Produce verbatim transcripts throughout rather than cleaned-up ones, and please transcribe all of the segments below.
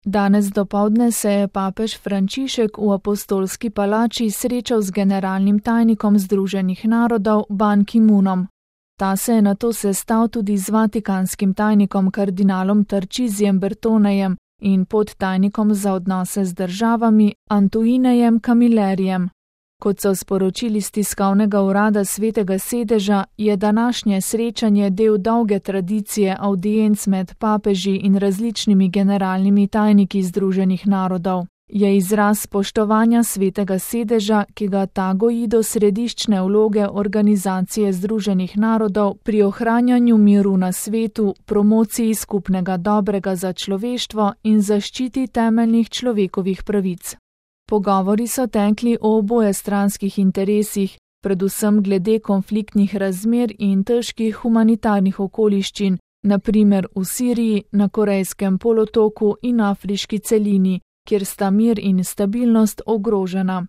Danes dopoldne se je papež Frančišek v Apostolski palači srečal z generalnim tajnikom Združenih narodov Ban Ki-moonom. Ta se je nato sestal tudi z vatikanskim tajnikom kardinalom Tarcisijem Bertonejem in podtajnikom za odnose z državami Antoinejem Camillerijem. Kot so sporočili z tiskovnega urada Svetega sedeža, je današnje srečanje del dolge tradicije avdienc med papeži in različnimi generalnimi tajniki Združenih narodov. Je izraz spoštovanja Svetega sedeža, ki ga ta goji do središčne vloge Organizacije Združenih narodov pri ohranjanju miru na svetu, promociji skupnega dobrega za človeštvo in zaščiti temeljnih človekovih pravic. Pogovori so tekli o obojestranskih interesih, predvsem glede konfliktnih razmer in težkih humanitarnih okoliščin, na primer v Siriji, na Korejskem polotoku in afriški celini, kjer sta mir in stabilnost ogrožena.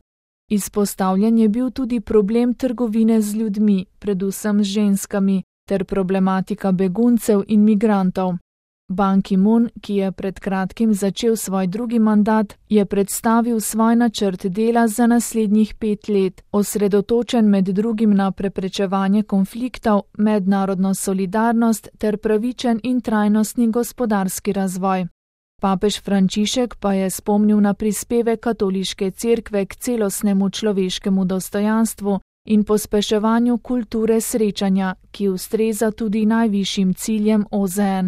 Izpostavljen je bil tudi problem trgovine z ljudmi, predvsem z ženskami, ter problematika beguncev in migrantov. Ban Ki-moon, ki je pred kratkim začel svoj drugi mandat, je predstavil svoj načrt dela za naslednjih pet let, osredotočen med drugim na preprečevanje konfliktov, mednarodno solidarnost ter pravičen in trajnostni gospodarski razvoj. Papež Frančišek pa je spomnil na prispevek katoliške cerkve k celostnemu človeškemu dostojanstvu in pospeševanju kulture srečanja, ki ustreza tudi najvišjim ciljem O Z N.